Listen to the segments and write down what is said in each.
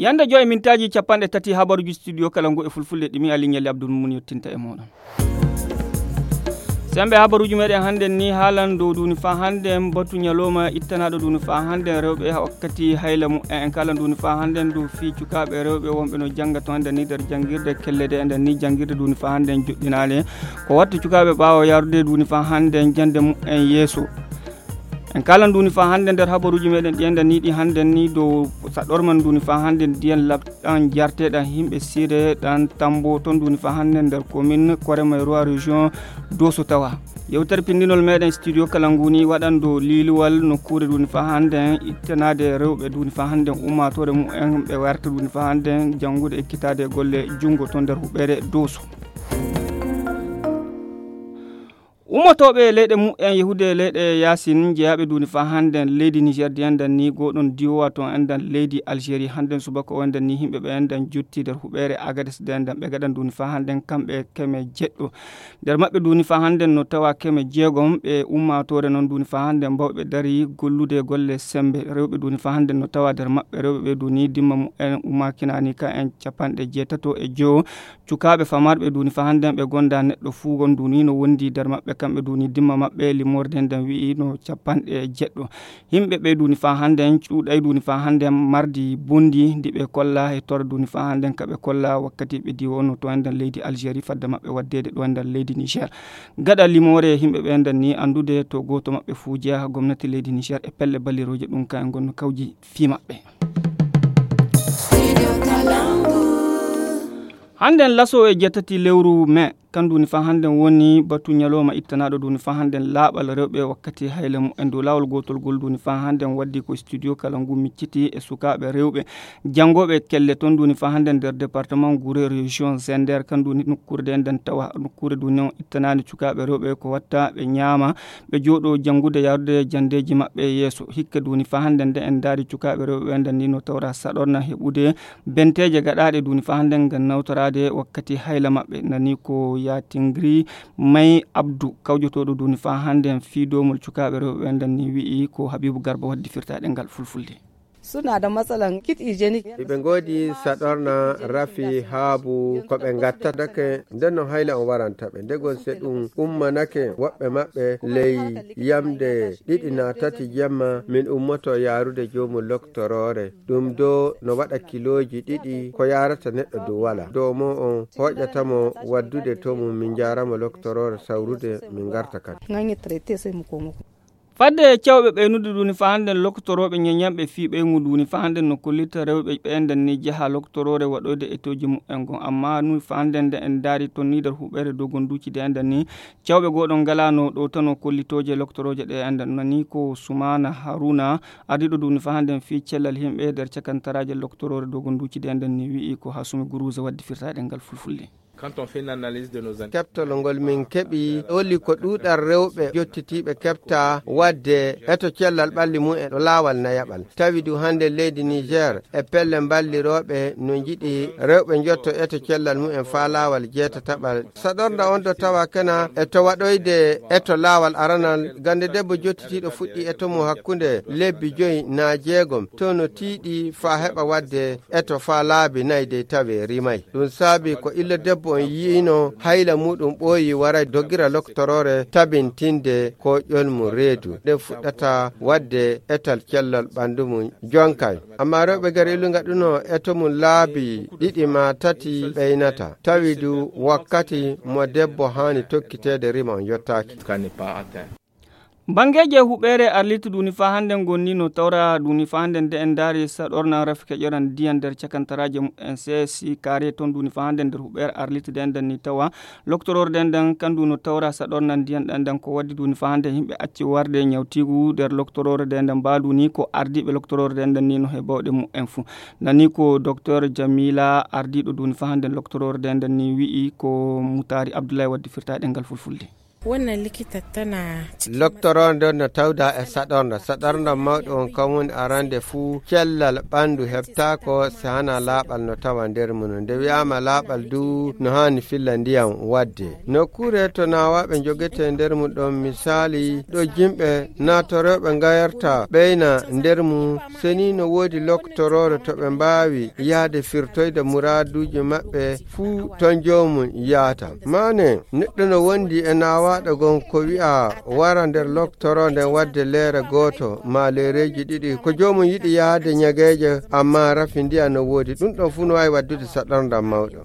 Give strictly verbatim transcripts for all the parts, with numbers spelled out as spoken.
Yande joy mintaaji capanɗe tati habaruuji studio kala ngu e fulfulde ɗimi, Aliou Nialy Abdoul Mum yettinta e mooɗon. Sembe habaruuji meɗen hannden ni haalan dow duuni faa hannden batu ñalooma ittanaaɗo duuni faa hannden rewɓe wakkati hayla mu en. En kaalan duuni faa hannden dow fii cukaaɓe rewɓe wonɓe no jannga to enden ni nder janngirde kellede enden ni janngirde duuni faa hannden joɗɗinaale. Ko watta cukaaɓe ɓaawo yaarude duuni faa hannden jannde mu en yeeso. En kaalan duuni faa hannden nder habaruuji meɗen ɗi enden ni ɗi hannden ni dow saɗorman duuni faa hannden ndiyan laɓ ɗan jarteɗan himɓe sire ɗan tambo ton duuni fa hannde nder commune korema e roi région doso tawa. Yewtere pindinol meɗen studio kala nguni waɗan dow liluwal nokkure duuni fa hannde ittanade rewɓe duuni fa hannde ummatore mumen ɓe warta duuni fa hannde janngude e ekkitade golle junngo to nder huɓere doso. Ummotooɓe leyɗe mumen yahude leyɗe yaasin jeyaaɓe duuni faa hannden leydi Niger di endan ni gooɗon diwowa toon endan leydi Algérie hannden subaka o endan ni yimɓe ɓe endan jotti nder huɓeere Agades de endan ɓe gaɗan duuni faa hannden kamɓe keme jeɗɗo. Nder maɓɓe duuni faa hannden no tawa keme jeegom ɓe ummaatoore noon duuni faa hannden mbawɓe dari gollude golle semmbe rewɓe duuni faa hannden no tawa nder maɓɓe rewɓe ɓe duuni dimma mumen ummaakinaani ka en capanɗe jeetato e jowo. Cukaaɓe famarɓe duuni fa hannden ɓe gonda neɗɗo fuu gon duuni no wondi nder maɓɓe kamɓe duuni dimma maɓɓe limorde nden wi'i no capanɗe jeɗɗo. Yimɓe ɓe duuni fa hannden cuuɗay duuni fa hannden mardi bondi ndi ɓe kolla e tor duuni fa hannden ka ɓe kolla wakkati ɓe diwo no to endan leydi Algérie fadde maɓɓe waddeede ɗo endan leydi Niger. Gaɗa limoore yimɓe ɓe endan ni anndude to gooto maɓɓe fuu jeya gomnati leydi Niger e pelle ballirooje ɗum ka en gonno kawji fii maɓɓe. Hannden laso e jeetati lewru mai kan duuni fa hannden woni batu ñalooma ittanaaɗo duuni fa hannden laaɓal rewɓe wakkati hayla mumen dow laawol gootol gol duuni fa hannden waddi ko studio kala ngu micciti e sukaaɓe rewɓe janngooɓe kelle ton duuni fa hannden nder département gure région zender kan duuni nokkuure de nden tawa nokkuure duuni on ittanaani sukaaɓe rewɓe ko watta ɓe ñaama ɓe jooɗo janngude yaarude janndeeji maɓɓe yeeso hikka duuni fa hannden nde en ndaari cukaaɓe rewɓe ɓe nden ni no tawra saɗorna heɓude benteeje gaɗaaɗe duuni fa hannden ngam nawtoraade wakkati hayla maɓɓe nani ko yaatingiri may abdu kawjotooɗo duuni fa hannden fii doomol cukaaɓe rewɓe ɓe nden ni wi'i ko habibu garba waddi firtaaɗe ngal fulfulde. Suna da matsalan kit hygienic. Iɓe ngoodi saɗorna rafi haabu ko ɓe ngatta dake nden no hayla on waranta ɓe ndegol se ɗum ummanake woɓɓe maɓɓe ley yamde ɗiɗi na tati jemma min ummoto yaarude joomu loktoroore ɗum do no waɗa kilooji ɗiɗi ko yaarata neɗɗo dow wala dow mo on hoƴata mo waddude to mum min njaaramo loktoroore sawrude min ngarta kadi. Fadde cawɓe ɓeynude duuni fa hannden loktorooɓe ñeñanɓe fii ɓeyngu duuni fa hannden no kollita rewɓe ɓeenden ni jaha loktoroore waɗoyde etooji mumen gon amma ni fa hannden nde en ndaari ton ni nder huɓeere dogonduuci de enden ni cawɓe gooɗo ngalano ɗo tano kollitooje loktorooje ɗe enden nani ko sumaana haruna ardiiɗo duuni fa hannden fii cellal yimɓe nder cakantaraaje loktoroore dogonduuci de enden ni wi'i ko hasumi guruusa waddi firtaaɗe ngal fulfulde. Keɓtol ngol min keɓi holli ko ɗuuɗal rewɓe jottitiiɓe keɓta waɗde eto cellal ɓalli mumen ɗo laawal nayaɓal tawi du hannde leydi niger e pelle mballirooɓe no njiɗi rewɓe njotto eto cellal mumen faa laawal jeetataɓal saɗornda on ɗo tawa kena eto waɗoyde eto laawal aranal gannde debbo jottitiiɗo fuɗɗi eto mum hakkunde lebbi joyi naa jeegom to no tiiɗi faa heɓa waɗde eto faa laabi nayi dey tawi rimay ɗum saabi ko illa debbo on yi'ino hayla muɗum ɓooyi waray dogira loktoroore tabintinde ko ƴolmu reedu nde fuɗɗata waɗde etal cellal ɓanndu mum jonkay amma rewɓe gari illu ngaɗuno eto mum laabi ɗiɗi ma tati ɓeynata tawi du wakkati mo debbo haani tokkiteede rima on yottaaki. Banngeeji e huɓeere arlit duni faa hannden gonni no tawra duni faa hannden nde en ndaari saɗorna rafi keƴoran ndiyan nder cakantaraaji mumen C S I kaare toon duni faa hannden nder huɓeere arlit nde en danni tawa loktoroore nde en dan kandu no tawra saɗorna ndiyan ɗan dan ko waddi duni faa hannden yimɓe acci warde ñawtiigu nder loktoroore nde en dan mbaadu ni ko ardiiɓe loktoroore nde en dan ni no he bawɗe mumen fuu nani ko docteur Jamila ardiiɗo duni faa hannden loktoroore nde en dan ni wi'i ko Mutaari Abdullahi waddi firtaaɗe ngal fulfulde. Wannan likita tana cikin loktoroo nden no tawda e saɗornda saɗornda mawɗo on kan woni arande fuu cellal ɓanndu heɓtaako si hana laaɓal no tawa nder mum no nde wi'aama laaɓal du no haani filla ndiyam wadde nokkuure to naawaaɓe njogete nder mum ɗon misaali ɗo jimɓe naatorooɓe ngayarta ɓeyna nder mum seni no woodi loktoroore to ɓe mbaawi yahde firtoyde muraaduuji maɓɓe fuu ton joomum yaata maane neɗɗo no wondi e naawaaɗo gon ko wi'a wara nder loktoro nden wadde leere gooto maa leereeji ɗiɗi ko joomum yiɗi yahde ñageeje amma rafi ndiya no woodi ɗum ɗon fuu no waawi waddude saɗorndam mawɗo.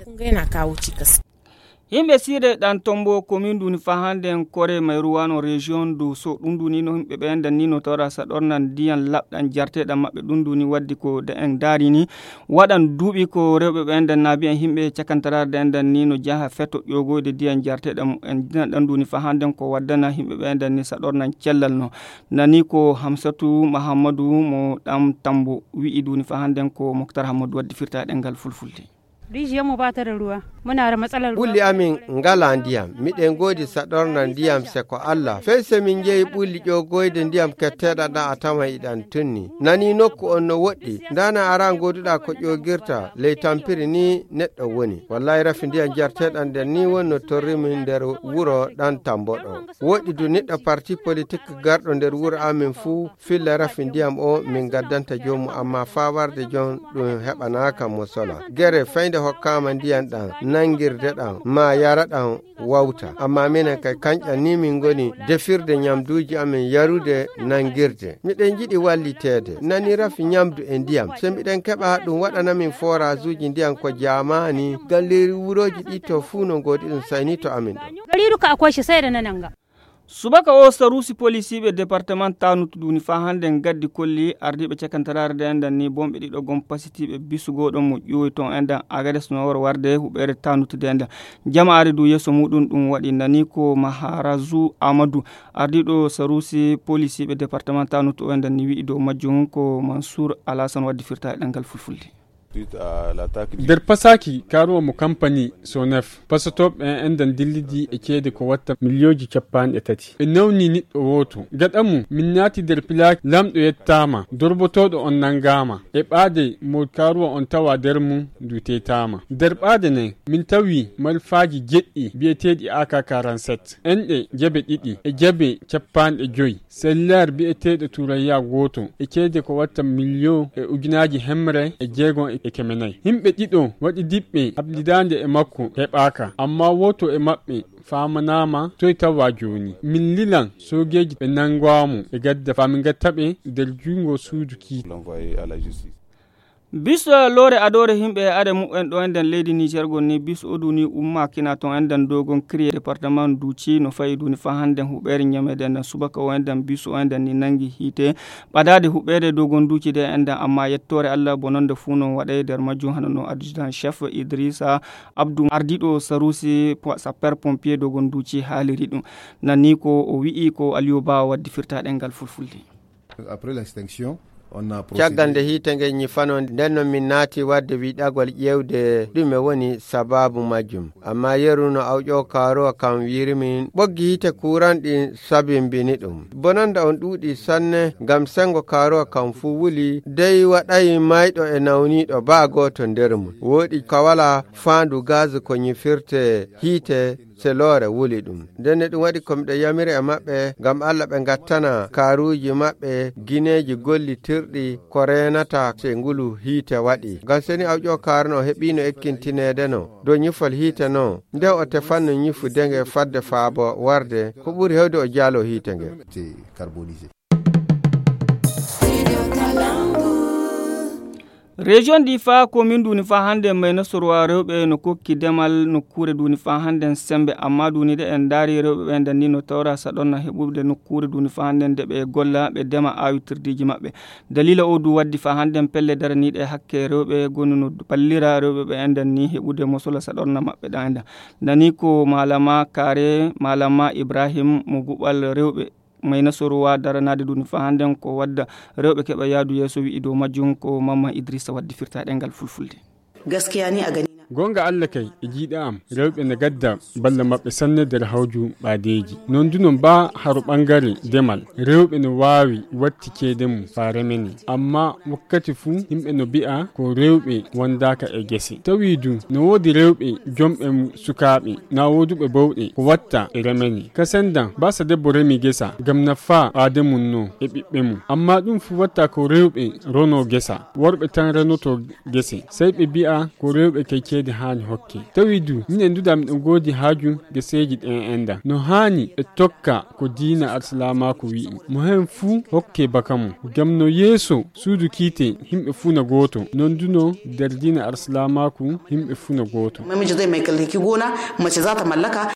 Yimɓe siire ɗan tombo komin duni faa hande en kore mayruwano région du so ɗum duni no yimɓe ɓe endan ni no tawra saɗorna ndiyan laɓɗan jarteɗan maɓɓe ɗum duni waddi ko de en darini waɗan duuɓi ko rewɓe ɓe endan naabi en yimɓe cakantararde endan ni no jaha feto ƴogoyde ndiyan jarteɗan en dinan ɗan duni faa hande en ko waddana yimɓe ɓe endan ni saɗornan cellal no nani ko hamsatu mahammadu mo ɗam tambo wi'i duni faa hande en ko moktar hammadu waddi firta e ɗengal fulfulde. Rijiyarmu ba ta da ruwa. Muna da matsalar ruwa. Ɓulli amin ngala ndiyam. Miɗen ngoodi saɗorna ndiyam se ko Allah. Fey se min njehi ɓulli ƴoogoyde ndiyam ketteeɗan ɗan a tawan iɗan tunni. Nani nokku on no woɗɗi. Ndana ara ngooduɗaa ko ƴoogirta. Ley tampiri ni neɗɗo woni. Wallahi rafi ndiyam jarteeɗan nden ni woni no torri min nder wuro ɗan tambo ɗo. Woɗɗi du niɗɗo parti politik garɗo nder wuro amin fuu filla rafi ndiyam o min gaddanta joomum amma faa warde jon ɗum heɓanaaka mo sola gere faynde hokkaama ndiyam ɗam nanngirde ɗam maa yara ɗam wawta amma minen kay kanƴam ni min ngoni defirde ñamduuji amin yarude nanngirde miɗen njiɗi walliteede nani rafi ñamdu e ndiyam so miɗen keɓa ɗum waɗana min forasuuji ndiyam ko jaamaani ngam leydi wurooji ɗi to fuu no ngoodi ɗum sayni to amin ɗo. Gari duka akwai shi sai da na nan ga. Subaka o saruusi polisiiɓe departement tanut duni faa hande en gaddi kolli ardiiɓe cakantaraare de endan ni bonɓe ɗiɗo gon pasitiiɓe bisugo ɗon mo ƴuwoy ton endan agades no wor warde huɓeere tanut de endan jama ari du yeeso muɗum ɗum waɗi nani ko maharazu amadou ardiiɗo saruusi polisiiɓe departement tanut o endan ni wi'i dow majjum ko mansour alasan waddi firta e ɗengal fulfulde. Nder pasaaki kaaruwa mo kampani sonef pasatooɓe en enɗan dillidi e ceede ko watta miliyooji cappanɗe tati ɓe nawni niɗɗo wooto gaɗa mum min naati nder pilaaki lamɗo yettaama dorbotooɗo on nanngaama e ɓaade mo kaaruwa on tawa nder mum ndu teytaama nder ɓaade nden min tawi malfaaji jeɗɗi biyeteeɗi ak quarante-sept enɗe jabe ɗiɗi e jabe cappanɗe joyi sellaar biyeteeɗo turayya gooto e ceede ko watta miliyon e ujunaaji hemre e jeegon e keme nayi yimɓe ɗiɗo waɗidiɓɓe habdidaande e makko heɓaaka amma wooto e maɓɓe faamanaama toy tawa jooni min lilan soogeeji ɓe nanngaamo ɓe gadda faa min ngatta ɓe nder junngo suudu kiite. Bis loore adoore yimɓe e are muɓɓen ɗo enɗen leydi niger gonni bis o duni umma kina ton enɗen dogon kriye département duci no fayi duni fa hannden huɓeere ñamede enɗen subaka o enɗen bis o enɗen ni nangi hiite ɓadaade huɓeere dogon duci de enɗen amma yettoore allah bononde fuu non waɗay nder majjum hano no adjudant chef idrissa abdou ardiɗo sarusi sapeur pompier dogon duci haaliri ɗum nanni ko o wi'i ko aliyo ba waddi firta ɗengal fulfulde. Caggal nde hiite nge ñifano nden no min naati wadde wiɗagol ƴeewde ɗume woni sababu majjum amma yeru no awƴo kaaruwa kam wiiri min ɓoggi hiite kuuran ɗin sabimbini ɗum bonanda on ɗuuɗi sanne ngam sengo kaaruwa kam fuu wuli dey waɗayi mayɗo e nawniiɗo baa gooto nder mum wooɗi ka wala faandu gaz ko ñifirte hiite se loore wuli ɗum ndenne ɗum waɗi ko miɗo yamiri e maɓɓe ngam allah ɓe ngattana kaaruuji maɓɓe gineeji gollitirɗi ko reenata se ngulu hiite waɗi ngam seni awƴo kaarno heɓiino ekkintineede no dow ñifol hiite no nde o tefanno ñifude nge fadde faabo warde ko ɓuri hewde o jaalo hiite nge. Région ɗi faa komin duni faa hannde mayna sorwa rewɓe no kokki demal nokkuure duni faa hannde sembe amma duni de en ndaari rewɓe ɓe nden ni no tawra saɗonna heɓude nokkuure duni faa hannde nde ɓe golla ɓe dema awitirdiiji maɓɓe dalila o du waddi faa hannde pelle daraniiɗe hakke rewɓe gonu no ballira rewɓe ɓe enden ni heɓude mosola saɗorna maɓɓe ɗan enden nani ko malama kare malama ibrahim mo guɓal rewɓe mayna sorowa daranaade duni faa hannden ko wadda rewɓe keɓa yaadu yeeso wi'i dow majjum ko mamma idrissa waddi firta ɗengal fulfulde. Gaskiya ni a gani na. Goonga Alla kay, e jiiɗa am, rewɓe na gadda balla maɓɓe sanne nder hawju ɓaadeeji. Noon du noon baa haro ɓangare demal, rewɓe no waawi watti ceede mum faa remene. Ammaa wakkati fuu yimɓe no bi'a ko rewɓe wondaaka e gese. Tawi du no woodi rewɓe jomɓe mum sukaaɓe, na wooduɓe bawɗe ko watta e remene. Ka senndan, baa sa debbo remi gesa, ngam nafaa ɓaade mum no e ɓiɓɓe mum. Ammaa ɗum fuu watta ko rewɓe ronoo gesa. Worɓe tan renoto gese. Sey ɓe bi'a ko rewɓe kay ceede haani hokke. Tawi du, minen duda miɗen goodi haaju geseeji ɗen enɗan. No haani ɓe tokka ko diina Alsilaamaaku wi'i. Mo heen fuu hokke baka mum. Ngam no yeeso suudu kiite, yimɓe fuu na gooto. Noon du no nder diina Alsilaamaaku, yimɓe fuu na gooto. Namiji zai mallaki gona, mace za ta mallaka.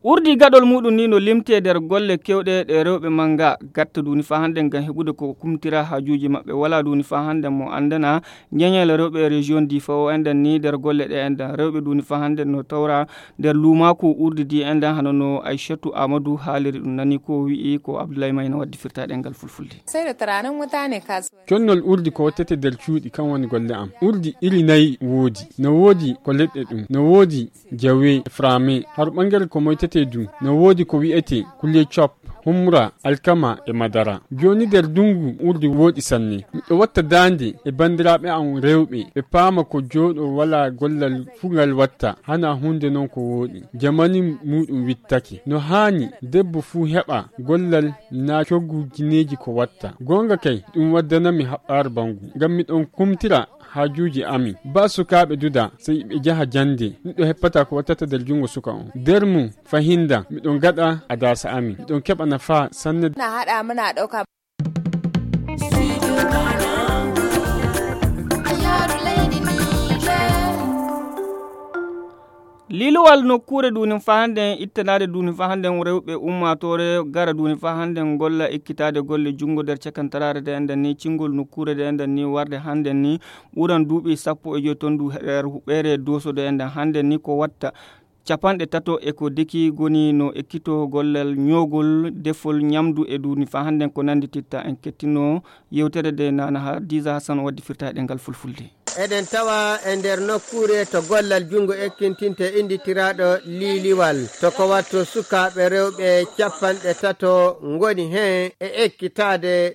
Urdi gaɗol muɗum ni no limtee nder golle kewɗe ɗe rewɓe mannga gatta duuni faa hannden ngam heɓude ko kumtira haajuuji maɓɓe. Walaa duuni faa hannden mo anndana ñeñeele rewɓe e région Difa o enɗan ni nder golle ɗe enɗan. Rewɓe duuni faa hannden no tawra nder luumaaku urdi di enɗan hano no Aishatu Amadu haaliri ɗum nani ko wi'i ko Abdullahi Mayna waddi firta ɗemngal fulfulde. Sai da tunanin mutane kasuwa. Connol urdi ko wattete nder cuuɗi kan woni golle am. Urdi iri nayi woodi. No woodi ko leɗɗe ɗum. No woodi jawe, frame, har ɓangare ko moytetee du, no woodi ko wi'etee kule cop, humra, alkama e madara. Jooni nder ndungu urdi wooɗi sanne. Miɗo watta daande e banndiraaɓe am rewɓe, ɓe paama ko jooɗo walaa gollal fuu ngal watta, hana huunde noon ko wooɗi. Jamani muuɗum wittake. No haani debbo fuu heɓa gollal na coggu gineeji ko watta. Goonga kay, ɗum waddanami haɓɓaare banngu. Ngam miɗon kumtira haajuuji amin. Baa sukaaɓe duda, sey ɓe njaha jannde. Miɗo heppata ko wattata nder junngo suka on. Nder mum, fahinda, miɗon ngaɗa adaasa amin. Miɗon keɓa nafaa sanne. Na haɗa muna ɗauka. Liluwal nokkuure duunin faa hannden, ittanaade duunin faa hannden, rewɓe ummaatoore gara duunin faa hannden, golla ekkitaade golle junngo nder cakantaraare de enɗan ni, cingol nokkuure de enɗan ni, warde hannden ni, ɓuran duuɓi sappo e joy ton du nder huɓeere Dooso de enɗan hannden ni, ko watta capanɗe tato e ko deki goni no ekkito gollal ñoogol, defol ñamdu e duunin faa hannden ko nanndititta. En kettino yewtere de nana Hadiza Hassan waddi firta e ɗemngal fulfulde. Eɗen tawa e nder nokkuure to gollal junngo ekkintinte innditiraaɗo liiliwal. To ko watto sukaaɓe rewɓe capanɗe tato ngoni heen e ekkitaade.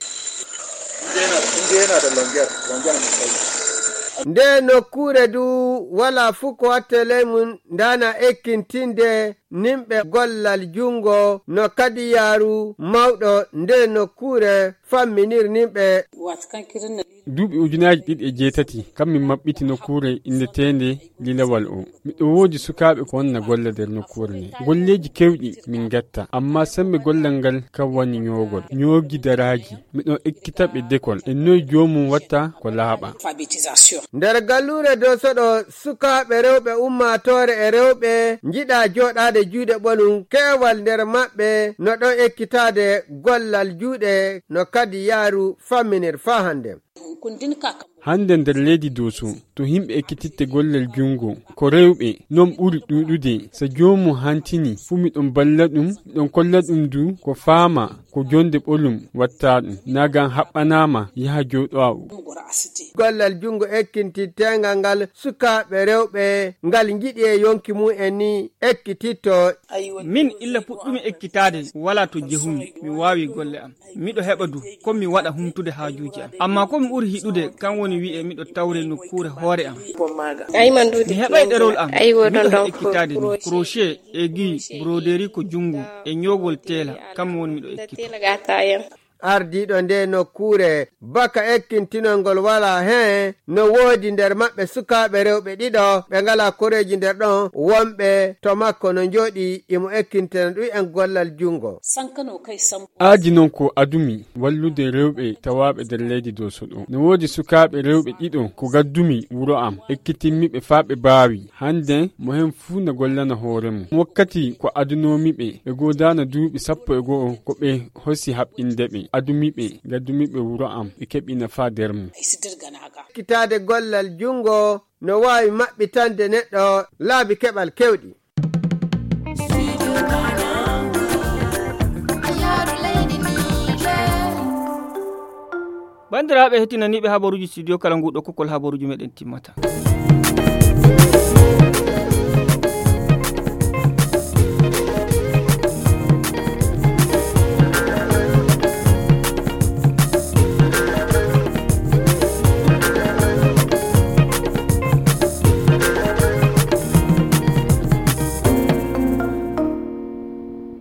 Nde nokkuure du wala fuu ko watte ley mum ndana ekkintinde nimɓe gollal junngo no kadi yaaru mawɗo nde nokkuure famminir nimɓe. Duuɓi ujunaaji ɗiɗi e jeetati, kam min maɓɓiti nokkuure inndeteende Lilawal o. Miɗo woodi sukaaɓe ko wonna golla nder nokkuure nde. Golleeji keewɗi min ngatta, ammaa semmbe gollal ngal kam woni ñoogol, ñoogi daraaji. Miɗo ekkita ɓe dekol e noy joomum watta ko laaɓa. Nder galluure Dooso ɗo, sukaaɓe rewɓe ummaatoore e rewɓe njiɗa jooɗaade juuɗe ɓolum, keewal nder maɓɓe no ɗon ekkitaade gollal juuɗe no kadi yaaru famminir faa hannde. Hannde nder leydi Dooso, to yimɓe ekkititte gollal junngo, ko rewɓe non ɓuri ɗuuɗude. So joomum hantini fuu, miɗon balla ɗum, miɗon kolla ɗum du ko faama ko jonde ɓolum watta ɗum. Naa ngam haɓɓanaama yaha jooɗowa o. Gollal junngo ekkintiteengal ngal sukaaɓe rewɓe ngal njiɗi e yonki mum en ni ekkititto. Min illa puɗɗumi ekkitaade, walaa to jehumi, mi waawi golle am. Miɗo heɓa du, ko mi waɗa humtude haajuuji am. Ammaa ko mi ɓuri hiɗude, kan woni wi'e miɗo tawre nokkuure hoore am. Mi heɓay ɗerol am, miɗo ekkitaade ni. Crochet, aiguille, broderie ko junngo, e ñoogol teela, kam woni miɗo ekkita. Ardiiɗo nde nokkuure, baka ekkintinol ngol walaa heen, no woodi nder maɓɓe sukaaɓe rewɓe ɗiɗo, ɓe ngalaa koreeji nder ɗon, wonɓe to makko no njooɗi, imo ekkintina ɗum en gollal junngo. Aadi noon ko adumi wallude rewɓe tawaaɓe nder leydi Dooso ɗo. No woodi sukaaɓe rewɓe ɗiɗo ko gaddumi wuro am, ekkitinmi ɓe faa ɓe baawi. Hannde mo heen fuu na gollana hoore mum. Wakkati ko adunoomi ɓe, ɓe goodaana duuɓi sappo e go'o ko ɓe hosi haɓɓinde ɓe. Adumi ɓe, gaddumi ɓe wuro am, ɓe keɓi nafaa nder mum. Ekkitaade gollal junngo no waawi maɓɓitande neɗɗo laabi keɓal keewɗi. Banndiraaɓe heɗtinaniiɓe habaruuji studio, kala nguɗo kokol habaruuji meɗen timmata.